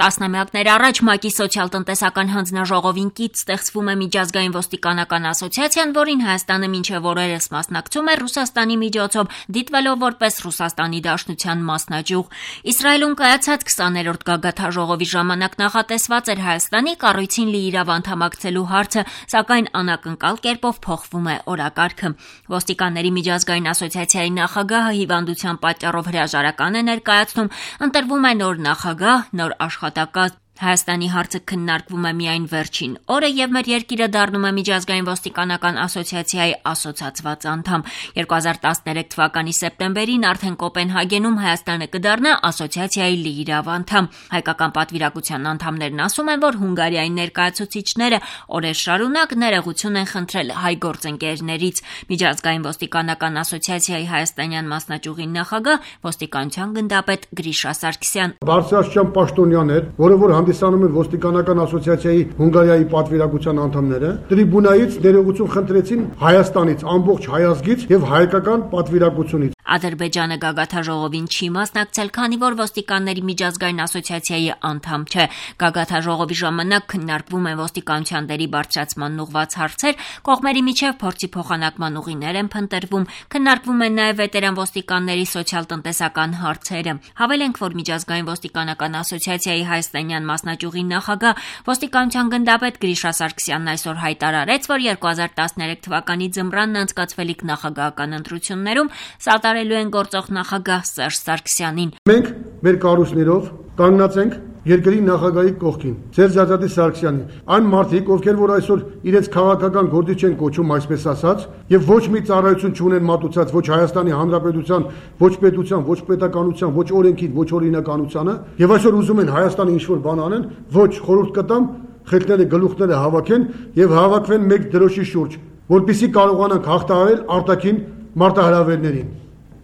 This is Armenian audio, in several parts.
Տասնամյակներ առաջ ՄԱԿ-ի սոցիալ-տնտեսական հանձնաժողովին կից ստեղծվում է միջազգային ոստիկանական ասոցիացիան, որին Հայաստանը մինչև օրերս մասնակցում է Ռուսաստանի միջոցով, դիտվելով որպես Ռուսաստանի Դաշնության մասնաճյուղ։ Իսրայելում կայացած 20-րդ գագաթնաժողովի ժամանակ նախատեսված էր Հայաստանի կառույցին լիիրավ անդամակցելու հարցը, սակայն անակնկալ կերպով փոխվում է օրակարգը։ Ոստիկանների միջազգային ասոցիացիայի նախագահը հիվանդության պատճառով հրաժարական է ներկայացնում, ընտրվում է նոր նախագահ, նոր աշխատակազմ։ Հայաստանի հարցը քննարկվում է միայն վերջին օրը եւ մեր երկիրը դառնում է միջազգային ոստիկանական ասոցիացիայի ասոցացված անդամ։ 2013 թվականի սեպտեմբերին արդեն Կոպենհագենում Հայաստանը կդառնա ասոցիացիայի լիիրավ անդամ։ Հայկական պատվիրակության անդամներն ասում են, որ Հունգարիայի ներկայացուցիչները օրեր շարունակ ներողություն են խնդրել հայ գործընկերներից։ Միջազգային ոստիկանական ասոցիացիայի հայաստանյան մասնաճյուղի նախագահ ոստիկանության գնդապետ Գրիշա Սարգսյան։ Բարձրաստիճան պաշտոնյան էր, որը հանդիսանում են ոստիկանական ասոցիացիայի Հունգարիայի պատվիրակության անդամները, տրիբունայից ներողություն խնդրեցին Հայաստանից, ամբողջ հայազգից եւ հայկական պատվիրակությունից։ Ադրբեջանը գագաթնաժողովին չի մասնակցել, քանի որ ոստիկանների միջազգային ասոցիացիայի անդամ չէ։ Գագաթնաժողովի ժամանակ քննարկվում են ոստիկանության դերի բարձրացման ուղղված հարցեր, կողմերի միջև փորձի փոխանակման ուղիներ են փնտրվում, քննարկվում են նաև վետերան ոստիկանների սոցիալ-տնտեսական հարցերը։ Հավելենք, որ միջազգային ոստիկանական ասոցիացիայի հայաստանյան մասնաճյուղի նախագահ ոստիկանության գնդապետ Գրիշա Սարգսյանն այսօր հայտարարեց, որ 2013 թվականի ձմռանն անցկացվելիք նախագահական ընտրություններում սատարելու են գործող նախագահ Սերժ Սարգսյանին։ Մենք մեր կառույցներով կանգնած ենք երկրի նախագահի կողքին, Սերժ Սարգսյանին։ Այն մարդիկ, ովքեր որ այսօր իրենց քաղաքական գործիչ են կոչում, այսպես ասած, եւ ոչ մի ծառայություն չունեն մատուցած ոչ Հայաստանի Հանրապետության, ոչ պետության, ոչ պետականության, ոչ օրենքի, ոչ օրինականությանը, եւ այսօր ուզում են Հայաստանի ինչ-որ բան անեն, ոչ խորհուրդ կտամ խելքները գլուխները հավաքեն եւ հավաքվեն մեկ դրոշի շուրջ, որպեսզի կարողանանք հաղթահարել արտաքին մարտահրավերներին,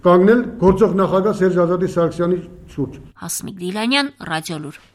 կանգնել գործող նախագահ Սերժ Սարգսյանի շուրջ։ Հասմիկ Դիլանյան, Ռադիոլուր։